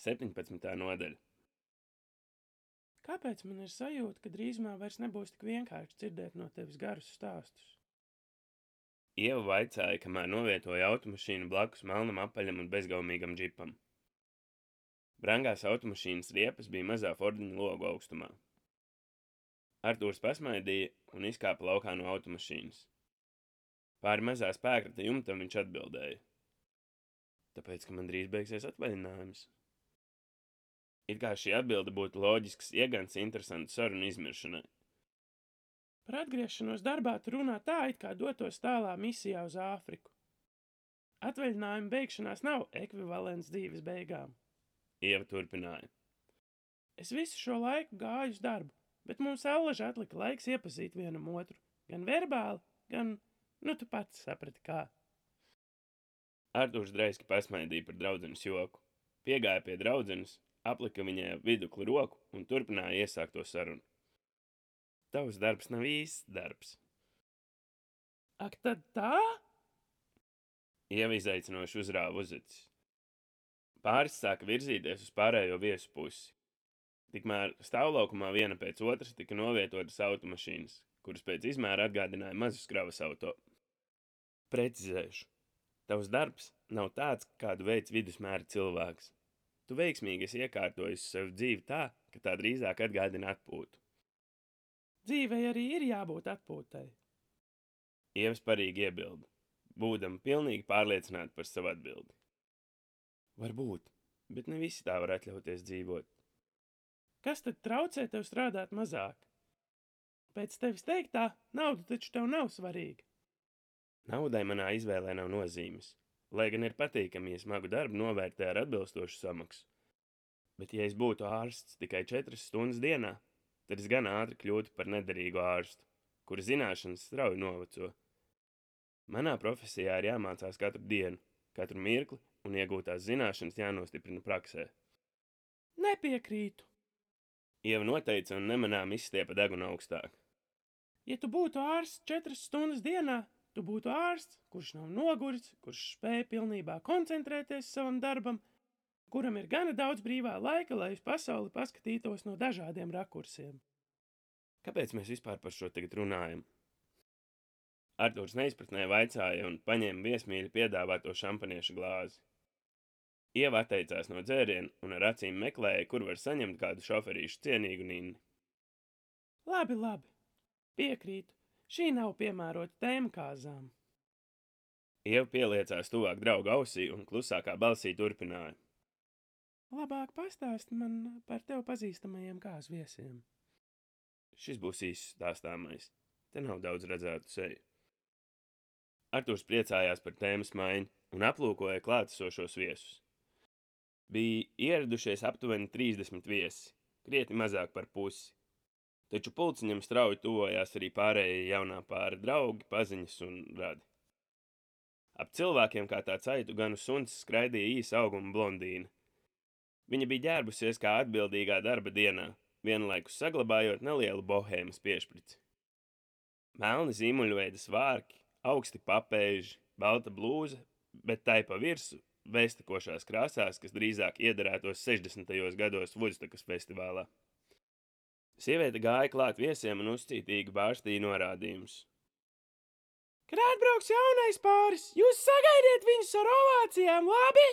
17. nodaļa. Kāpēc man ir sajūta, ka drīzumā vairs nebūs tik vienkārši dzirdēt no tevis garus stāstus? Ieva vaicāja, kamēr novietoja automašīnu blakus melnam apaļam un bezgaumīgam džipam. Brangās automašīnas riepas bija mazā Fordiņa logu augstumā. Artūrs pasmaidīja un izkāpa laukā no automašīnas. Pāri mazā spēkrata jumtam viņš atbildēja. Tāpēc, ka man drīz beigsies atvaļinājums. It kā šī atbilde būtu loģisks iegans interesantu sarunu izmiršanai. Par atgriešanos darbā tu runā tā, it kā dotos tālā misijā uz Āfriku. Atvaļinājuma beigšanās nav ekvivalents dzīves beigām. Ieva turpināja. Es visu šo laiku gāju uz darbu, bet mums allaži atlika laiks iepazīt vienam otru. Gan verbāli, gan, tu pats saprati kā. Artūrs dreiski pasmaidīja par draudzenes joku. Piegāja pie draudzenes, aplika viņai vidukli roku un turpināja iesākto sarunu. Tavs darbs nav īsts darbs. Ak, tad tā? Ieva izaicinoši uzrāva uzacis. Pāris sāka virzīties uz pārējo viesu pusi. Tikmēr stāvlaukumā viena pēc otras tika novietotas automašīnas, kuras pēc izmēra atgādināja mazus kravas auto. Precizēšu. Tavs darbs nav tāds, kādu veids vidusmēra cilvēks. Tu veiksmīgi esi iekārtojis sev dzīvi tā, ka tā drīzāk atgādina atpūtu. Dzīvei arī ir jābūt atpūtai. Ieva sparīgi iebilda, būdama pilnīgi pārliecināta par savu atbildi. Varbūt, bet ne visi tā var atļauties dzīvot. Kas tad traucē tev strādāt mazāk? Pēc tevis teiktā, nauda taču tev nav svarīga. Naudai manā izvēlē nav nozīmes, lai gan ir patīkami, ja smagu darbu novērtē ar atbilstošu samaksu. Bet ja es būtu ārsts tikai 4 stundas dienā, tad es gan ātri kļūtu par nederīgu ārstu, kura zināšanas strauji noveco. Manā profesijā ir jāmācās katru dienu, katru mirkli, un iegūtās zināšanas jānostiprina praksē. Nepiekrītu. Ieva noteica un nemanām izstiepa degunu augstāk. Ja tu būtu ārsts 4 stundas dienā, tu būtu ārsts, kurš nav noguris, kurš spēj pilnībā koncentrēties savam darbam, kuram ir gana daudz brīvā laika, lai uz pasauli paskatītos no dažādiem rakursiem. Kāpēc mēs vispār par šo tagad runājam? Artūrs neizpratnē vaicāja un paņēma viesmīļi piedāvāto šampaniešu glāzi. Ieva atteicās no dzēriena un ar acīm meklēja, kur var saņemt kādu šoferīšu cienīgu ninni. Labi. Piekrītu. Šī nav piemērota tēma kāzām. Ieva pieliecās tuvāk drauga ausī un klusākā balsī turpināja. Labāk pastāsti man par tev pazīstamajiem kāzu viesiem. Šis būs īsts stāstāmais. Te nav daudz redzētu seju. Artūrs priecājās par tēmas maiņu un aplūkoja klātesošos viesus. Bija ieradušies aptuveni 30 viesi, krietni mazāk par pusi. Taču pulciņam strauji tuvojās arī pārējie jaunā pāra draugi, paziņas un radi. Ap cilvēkiem kā tāds aitu ganu suns skraidīja īsa auguma blondīna. Viņa bija ģērbusies kā atbildīgā darba dienā, vienlaikus saglabājot nelielu bohēmas piešprici. Melni zīmuļveida svārki, augsti papēži, balta blūza, bet tai pa virsu vēstekošās krāsās, kas drīzāk iederētos 60. gados Vudstakas festivālā. Sieviete gāja klāt viesiem un uzcītīgi bārstīja norādījumus. Kad atbrauks jaunais pāris, jūs sagaidiet viņus ar ovācijām, labi?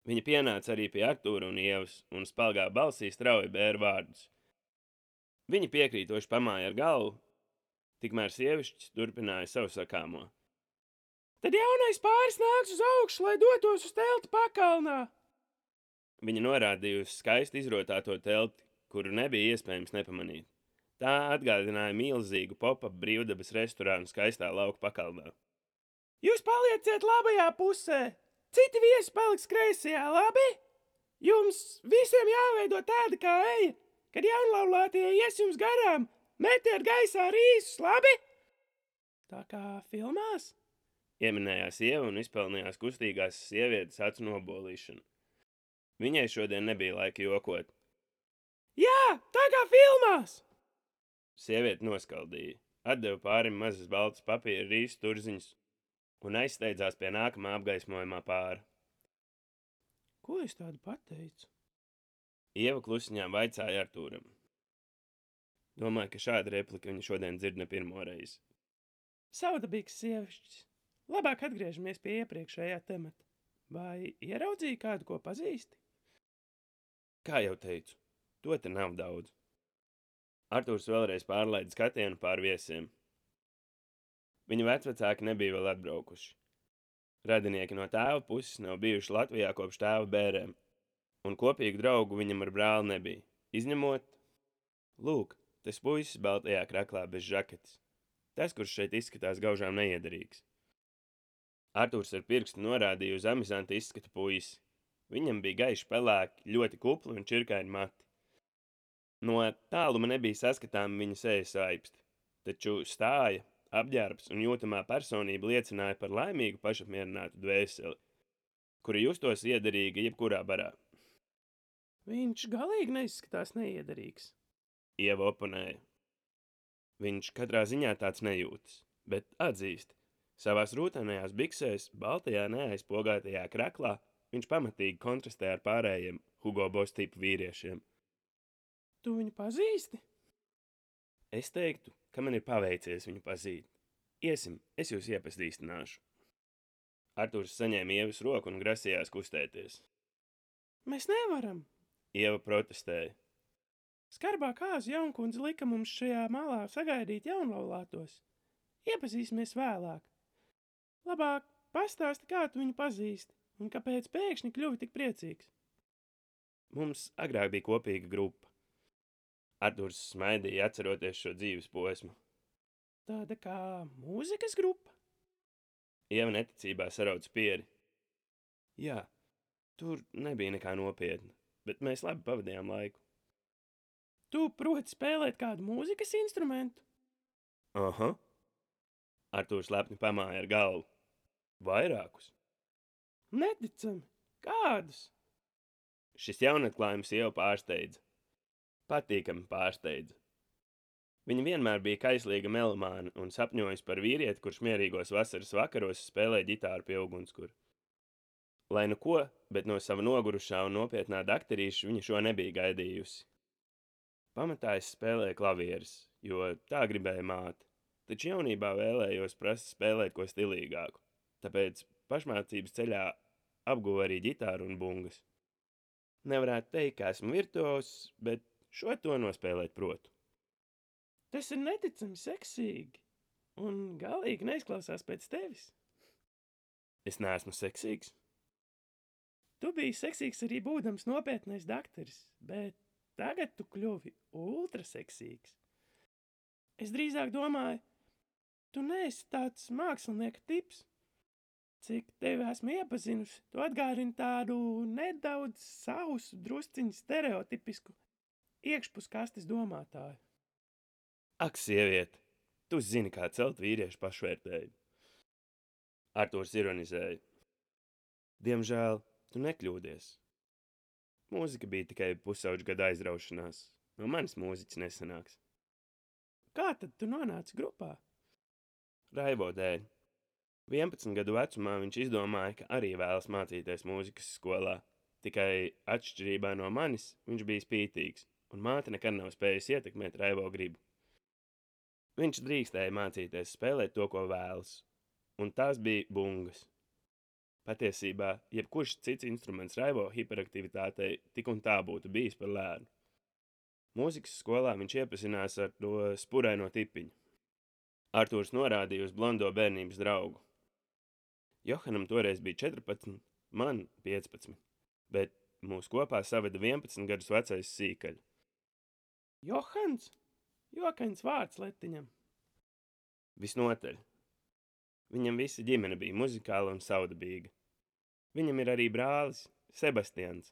Viņa pienāca arī pie Artūra un Ievas un spalgā balsī strauji bēra vārdus. Viņa piekrītoši pamāja ar galvu, tikmēr sievišķis turpināja savu sakāmo. Tad jaunais pāris nāks uz augšu, lai dotos uz telti pakalnā. Viņa norādīja uz skaisti izrotāto telti, kuru nebija iespējams nepamanīt. Tā atgādināja milzīgu pop-up brīvdabas restorānu skaistā lauka pakalnā. Jūs palieciet labajā pusē, citi viesi paliks kreisajā, labi? Jums visiem jāveido tāda kā eja, kad jaunlaulātie ies jums garām, metiet gaisā rīsus, labi? Tā kā filmās? Ieminējās Ieva un izpelnījās kustīgās sievietes acu nobolīšanu. Viņai šodien nebija laika jokot. Jā, tā kā filmās! Sieviete noskaldīja, atdeva pārim mazas baltas papīra rīsu turziņas un aizsteidzās pie nākamā apgaismojumā pāra. Ko es tādu pateicu? Ieva klusiņā vaicāja Artūram. Domāju, ka šāda replika viņa šodien dzird ne pirmo reizi. Saudabīgs sievišķis. Labāk atgriežamies pie iepriekšējā temata. Vai ieraudzīji kādu, ko pazīsti? Kā jau teicu, to te nav daudz. Artūrs vēlreiz pārlaida skatienu pār viesiem. Viņa vecvecāki nebija vēl atbraukuši. Radinieki no tēva puses nav bijuši Latvijā kopš tēva bērēm, un kopīgu draugu viņam ar brāli nebija, izņemot, lūk, tas puisis baltajā kraklā bez žaketes, tas, kurš šeit izskatās gaužām neiederīgs. Artūrs ar pirkstu norādīja uz amizanta izskata puisi. Viņam bija gaiši pelēki, ļoti kupli un čirkaini mati. No tāluma nebija saskatāma viņa sejas saipsti, taču stāja, apģērbs un jūtamā personība liecināja par laimīgu pašapmierinātu dvēseli, kura justos iederīga jebkurā barā. Viņš galīgi neizskatās neiederīgs. Ieva oponēja. Viņš katrā ziņā tāds nejūtas, bet atzīst, savās rūtainajās biksēs, baltajā neaizpogātajā kraklā, viņš pamatīgi kontrastē ar pārējiem Hugo Boss tipu vīriešiem. Tu viņu pazīsti? Es teiktu, ka man ir paveicies viņu pazīt. Iesim, es jūs iepazīstināšu. Artūrs saņēma Ievas roku un grasījās kustēties. Mēs nevaram. Ieva protestēja. Skarbā kāzu jaunkundze lika mums šajā malā sagaidīt jaunlaulātos. Iepazīsimies vēlāk. Labāk pastāsti, kā tu viņu pazīsti un kāpēc pēkšņi kļuvi tik priecīgs. Mums agrāk bija kopīga grupa. Artūrs smaidīja, atceroties šo dzīves posmu. Tāda kā mūzikas grupa? Ieva neticībā sarauc pieri. Jā, tur nebija nekā nopietna, bet mēs labi pavadījām laiku. Tu proti spēlēt kādu mūzikas instrumentu? Aha. Artūrs lepni pamāja ar galvu. Vairākus. Neticami. Kādus? Šis jaunatklājums Ievu pārsteidza. Patīkami pārsteidza. Viņa vienmēr bija kaislīga melomāna un sapņojusi par vīrieti, kurš mierīgos vasaras vakaros spēlē ģitāru pie ugunskura. Lai nu ko, bet no sava nogurušā un nopietnā dakterīša viņa šo nebija gaidījusi. Pamatā es spēlēju klavieres, jo tā gribēja māte, taču jaunībā vēlējos prast spēlēt ko stilīgāku, tāpēc pašmācības ceļā apguvu arī ģitāru un bungas. Nevarētu teikt, ka esmu virtuos, bet šo to nospēlēt protu. Tas ir neticami seksīgi un galīgi neizklausās pēc tevis. Es neesmu seksīgs. Tu biji seksīgs arī būdams nopietnais dakteris, bet tagad tu kļuvi ultraseksīgs. Es drīzāk domāju, tu neesi tāds mākslinieka tips. Cik tevi esmu iepazinusi, tu atgādini tādu nedaudz sausu, drusciņu stereotipisku iekšpuskastes domātāju. Ak, sieviete, tu zini, kā celt vīriešu pašvērtējumu. Artūrs ironizēja. Diemžēl, tu nekļūdies. Mūzika bija tikai pusauģu gada aizraušanās. No manis mūziķis nesanāks. Kā tad tu nonāci grupā? Raivo dēļ. 11 gadu vecumā viņš izdomāja, ka arī vēlas mācīties mūzikas skolā. Tikai atšķirībā no manis viņš bija spītīgs, un māte nekad nav spējusi ietekmēt Raivo gribu. Viņš drīkstēja mācīties spēlēt to, ko vēlas, un tās bija bungas. Patiesībā, jebkurš cits instruments Raivo hiperaktivitātei tik un tā būtu bijis par lēnu. Mūzikas skolā viņš iepazinās ar to spuraino tipiņu. Artūrs norādīja uz blondo bērnības draugu. Johanam toreiz bija 14, man 15, bet mūs kopā saveda 11 gadus vecais sīkaļ. Johans? Jokains vārds letiņam. Visnotaļ. Viņam visa ģimene bija muzikāla un saudabīga. Viņam ir arī brālis, Sebastians,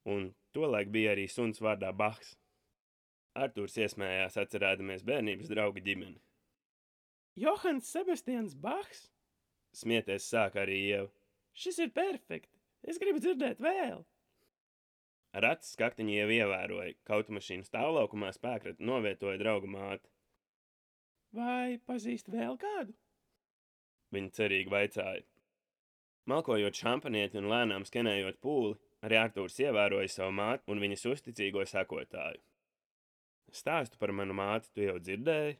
un tolaik bija arī suns vārdā Bachs. Artūrs iesmējās, atcerēdamies bērnības drauga ģimeni. Johans Sebastians Bachs? Smieties sāka arī Ieva. Šis ir perfekti. Es gribu dzirdēt vēl. Ar acis skaktiņu Ieva ievēroja, ka automašīnas stāvlaukumā spēkrata novietoja drauga māte. Vai pazīst vēl kādu? Viņa cerīgi vaicāja. Malkojot šampanieti un lēnām skenējot pūli, arī Artūrs ievēroja savu māti un viņas uzticīgo sekotāju. Stāstu par manu māti tu jau dzirdēji?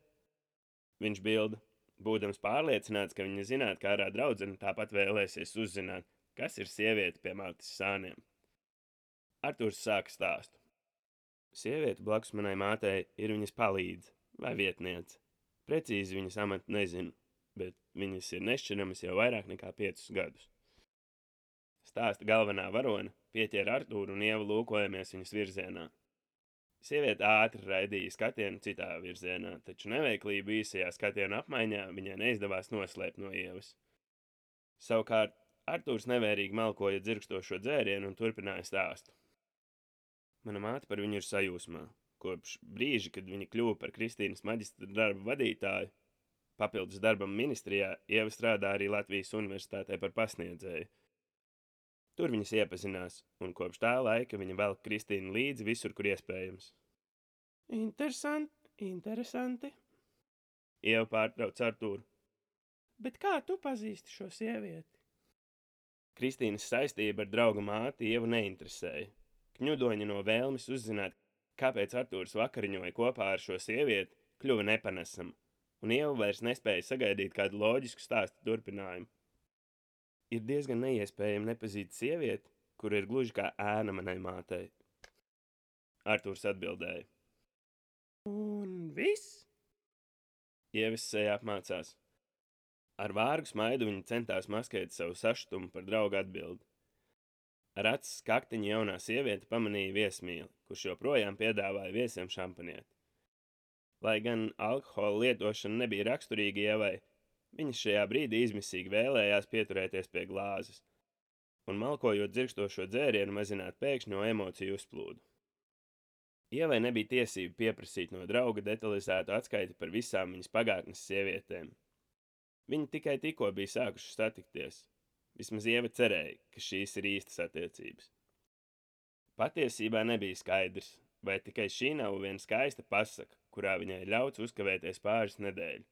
Viņš bilda, būdams pārliecināts, ka viņa zinātu, kā ārā draudzene tāpat vēlēsies uzzināt, kas ir sieviete pie mātes sāniem. Artūrs sāka stāstu. Sieviete blakus manai mātei ir viņas palīdze vai vietniece. Precīzi viņas amatu nezinu, bet viņas ir nešķiramas jau vairāk nekā 5 gadus. Stāsta galvenā varone pieķēra Artūru un Ievu lūkojamies viņas virzienā. Sieviete ātri raidīja skatienu citā virzienā, taču neveiklību īsajā skatienu apmaiņā viņai neizdevās noslēpt no Ievas. Savukārt, Artūrs nevērīgi malkoja dzirkstošo dzērienu un turpināja stāstu. Mana māte par viņu ir sajūsmā. Kopš brīža, kad viņa kļuva par Kristīnas maģistra darba vadītāju, papildus darbam ministrijā, Ieva strādā arī Latvijas Universitātē par pasniedzēju. Tur viņas iepazinās, un kopš tā laika viņa velk Kristīnu līdzi visur, kur iespējams. Interesanti. Ieva pārtrauc Artūru. Bet kā tu pazīsti šo sievieti? Kristīnas saistība ar drauga māti Ievu neinteresēja. Kņudoņa no vēlmes uzzināt, kāpēc Artūrs vakariņoja kopā ar šo sievieti, kļuva nepanesama, un Ieva vairs nespēja sagaidīt kādu loģisku stāstu turpinājumu. Ir diezgan neiespējami nepazīt sievieti, kur ir gluži kā ēna manai mātei. Artūrs atbildēja. Un viss? Ievas seja apmācās. Ar vārgu smaidu viņa centās maskēt savu sašutumu par draugu atbildi. Ar acis kaktiņa jaunā sieviete pamanīja viesmīli, kurš joprojām piedāvāja viesiem šampanieti. Lai gan alkohola lietošana nebija raksturīga Ievai, viņas šajā brīdī izmisīgi vēlējās pieturēties pie glāzes un malkojot dzirkstošo dzērienu mazināt pēkšņo emociju uzplūdu. Ievai nebija tiesība pieprasīt no drauga detalizētu atskaiti par visām viņas pagātnes sievietēm. Viņi tikai tikko bija sākuši satikties. Vismaz Ieva cerēja, ka šīs ir īstas attiecības. Patiesībā nebija skaidrs, vai tikai šī nav viena skaista pasaka, kurā viņai ļauts uzkavēties pāris nedēļu,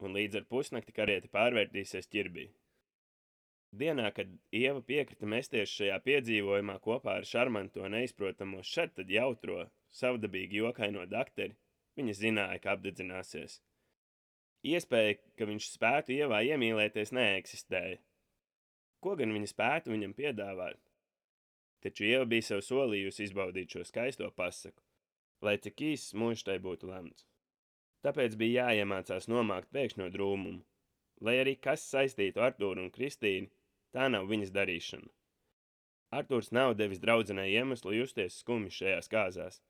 un līdz ar pusnakti karieti pārvērtīsies ķirbī. Dienā, kad Ieva piekrita mesties šajā piedzīvojumā kopā ar šarmanto neizprotamo šad tad jautro, savdabīgi jokaino dakteri, viņa zināja, ka apdedzināsies. Iespēja, ka viņš spētu Ievā iemīlēties, neeksistēja. Ko gan viņa spētu viņam piedāvāt? Taču Ieva bija sev solījusi izbaudīt šo skaisto pasaku, lai cik īsts mūžs tai būtu lemts. Tāpēc bija jāiemācās nomākt pēkšņo drūmumu, lai arī kas saistītu Artūru un Kristīnu, tā nav viņas darīšana. Artūrs nav devis draudzenei iemeslu justies skumji šajās kāzās.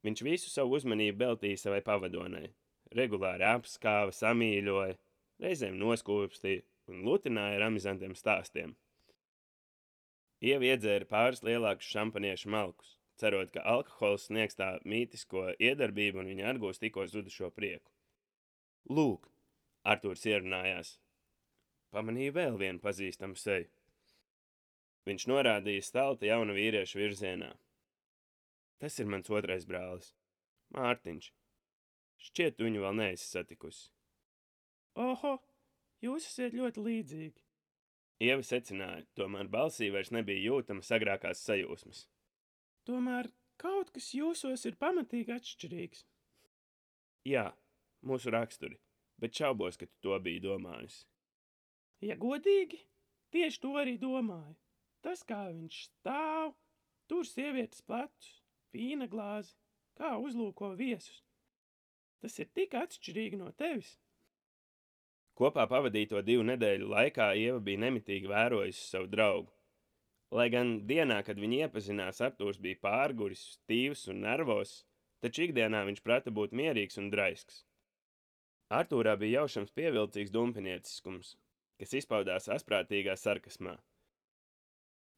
Viņš visu savu uzmanību veltīja savai pavadonei, regulāri apskāva, samīļoja, reizēm noskūpstīja un lutināja ar amizantiem stāstiem. Ieva iedzēra pāris lielākus šampaniešu malkus, cerot, ka alkohols sniegs tā mītisko iedarbību un viņa atgūs tikko zudušo prieku. Lūk, Artūrs ierunājās. Pamanīja vēl vienu pazīstamu seju. Viņš norādīja stalta jauna vīrieša virzienā. Tas ir mans otrais brālis, Mārtiņš. Šķiet, tu viņu vēl neesi satikusi. Oho, jūs esat ļoti līdzīgi. Ieva secināja, tomēr balsī vairs nebija jūtama agrākās sajūsmas. Tomēr kaut kas jūsos ir pamatīgi atšķirīgs. Jā, mūsu raksturi, bet šaubos, ka tu to biji domājusi. Ja godīgi, tieši to arī domāju. Tas, kā viņš stāv, tur sievietes plecus, vīna glāzi, kā uzlūko viesus. Tas ir tik atšķirīgi no tevis. Kopā pavadīto 2 nedēļu laikā Ieva bija nemitīgi vērojusi savu draugu. Lai gan dienā, kad viņi iepazinās, Artūrs bija pārguris, stīvs un nervos, taču ikdienā viņš prata būt mierīgs un draisks. Artūrā bija jaušams pievilcīgs dumpinieciskums, kas izpaudās asprātīgā sarkasmā.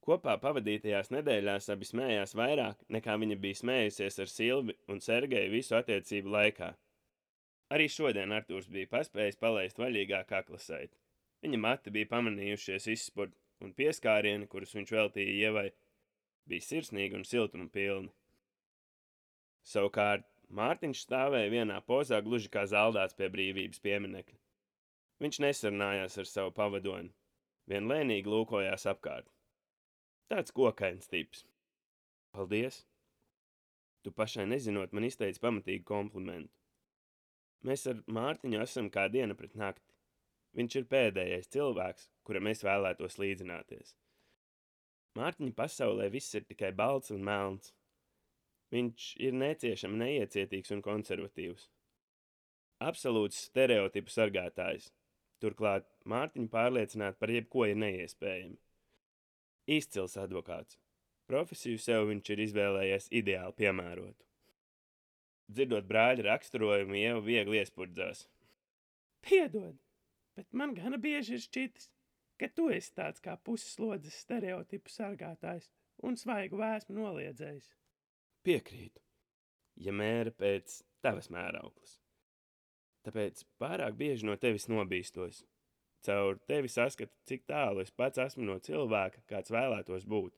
Kopā pavadītajās nedēļās abi smējās vairāk, nekā viņa bija smējusies ar Silvi un Sergeju visu attiecību laikā. Arī šodien Artūrs bija paspējis palaist vaļīgā kaklasaiti. Viņa mati bija pamanījušies izspurt, un pieskārieni, kurus viņš veltīja Ievai, bija sirsnīgi un siltuma pilni. Savukārt, Mārtiņš stāvēja vienā pozā gluži kā zaldāts pie brīvības pieminekļa. Viņš nesarunājās ar savu pavadoni, vien lēnīgi lūkojās apkārt. Tāds kokains tips. Paldies! Tu pašai nezinot, man izteici pamatīgu komplimentu. Mēs ar Mārtiņu esam kā diena pret nakti. Viņš ir pēdējais cilvēks, kuram es vēlētos līdzināties. Mārtiņa pasaulē viss ir tikai balts un melns. Viņš ir neciešami neiecietīgs un konservatīvs. Absolūts stereotipu sargātājs. Turklāt Mārtiņu pārliecināt par jebko ir neiespējami. Izcils advokāts. Profesiju sev viņš ir izvēlējies ideāli piemērotu. Dzirdot brāļa raksturojumu, Ieva viegli iespurdzās. Piedod, bet man gana bieži ir šķitis, ka tu esi tāds kā pusslodzes stereotipu sargātājs un svaigu vēsmu noliedzējs. Piekrītu, ja mēra pēc tavas mērauklas. Tāpēc pārāk bieži no tevis nobīstos. Caur tevi saskatu, cik tālu es pats esmu no cilvēka, kāds vēlētos būt.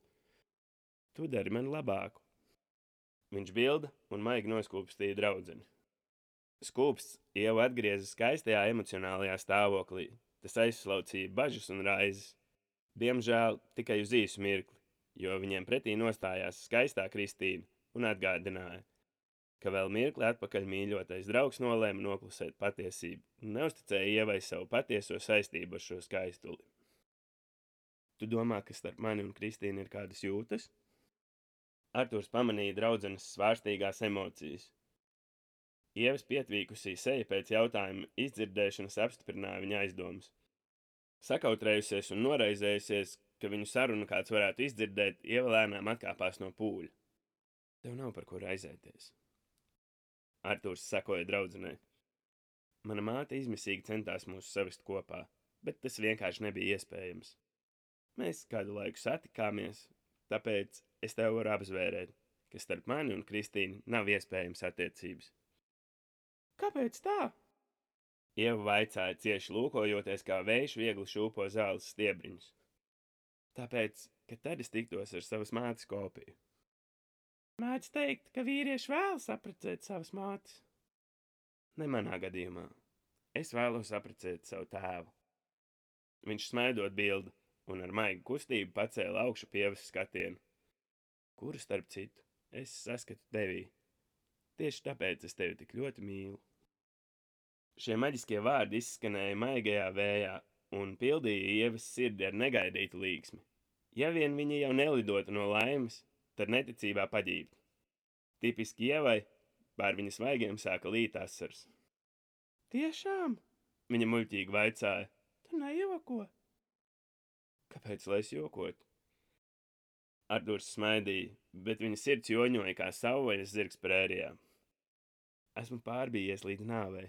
Tu dari man labāku. Viņš bilda un maigi noskūpstīja draudzeni. Skūpsts Ieva atgrieza skaistajā emocionālajā stāvoklī. Tas aizslaucīja bažas un raizes. Diemžēl tikai uz īsu mirkli, jo viņiem pretī nostājās skaistā Kristīna un atgādināja, ka vēl mirkli atpakaļ mīļotais draugs nolēma noklusēt patiesību un neusticēja Ievai savu patieso saistību ar šo skaistuli. Tu domā, ka starp mani un Kristīnu ir kādas jūtas? Arturs pamanīja draudzenes svārstīgās emocijas. Ievas pietvīkusī seja pēc jautājuma izdzirdēšanas apstiprināja viņa aizdomas. Sakautrējusies un noraizējusies, ka viņu sarunu kāds varētu izdzirdēt, Ieva lēnām atkāpās no pūļa. Tev nav par ko raizēties. Arturs sekoja draudzenei. Mana māte izmisīgi centās mūs savest kopā, bet tas vienkārši nebija iespējams. Mēs kādu laiku satikāmies, tāpēc es tev varu apzvērēt, ka starp mani un Kristīnu nav iespējams attiecības. Kāpēc tā? Ieva vaicāja cieši lūkojoties, kā vējš viegli šūpo zāles stiebriņus. Tāpēc, ka tad es tiktos ar savas mātes kopiju. Mēdz teikt, ka vīrieši vēlas apprecēt savas mātes. Ne manā gadījumā. Es vēlos apprecēt savu tēvu. Viņš smaidot bildi un ar maigu kustību pacēla augšu pievas skatienu. Kuru starp citu es saskatu tevī. Tieši tāpēc es tevi tik ļoti mīlu. Šie maģiskie vārdi izskanēja maigajā vējā un pildīja Ievas sirdi ar negaidītu līksmi. Ja vien viņa jau nelidotu no laimes, tad neticībā paģībt. Tipiski Ievai pār viņas vaigiem sāka līt asars. Tiešām? Viņa muļķīgi vaicāja. Tu nejoko? Kāpēc, lai es jokotu? Arturs smaidīja, bet viņa sirds joņoja kā savvaļas zirgs prērijā. Esmu pārbījies līdz nāvei,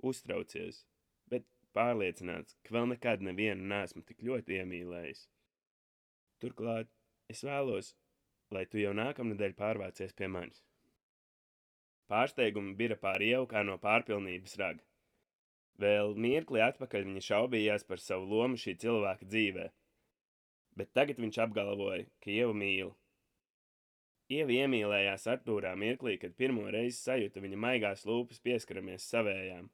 uztraucies, bet pārliecināts, ka vēl nekad nevienu neesmu tik ļoti iemīlējis. Turklāt es vēlos, lai tu jau nākamnedēļ pārvācies pie manis. Pārsteigumi bira pār Ievu kā no pārpilnības raga. Vēl mirkli atpakaļ viņa šaubījās par savu lomu šī cilvēka dzīvē, bet tagad viņš apgalvoja, ka Ievu mīl. Ieva iemīlējās Artūrā mirklī, kad pirmo reizi sajuta viņa maigās lūpas pieskaramies savējām.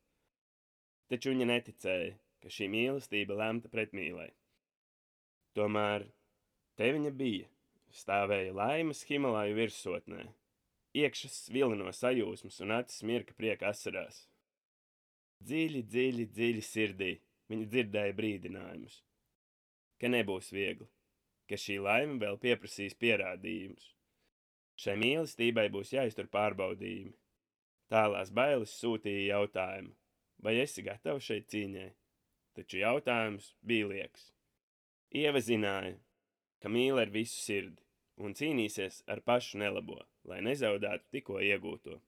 Taču viņa neticēja, ka šī mīlestība lemta pretmīlei. Tomēr te viņa bija, stāvēja laimes Himalaju virsotnē, iekšas vilino sajūsmas un acis mirka prieka asarās. Dziļi, dziļi, dziļi sirdī viņa dzirdēja brīdinājumus, ka nebūs viegli, ka šī laime vēl pieprasīs pierādījumus. Šai mīlestībai būs jāiztur pārbaudījumi. Tālās bailes sūtīja jautājumu, vai esi gatava šeit cīņai? Taču jautājums bija lieks. Ieva zināja, ka mīl ar visu sirdi un cīnīsies ar pašu nelabo, lai nezaudētu tikko iegūto.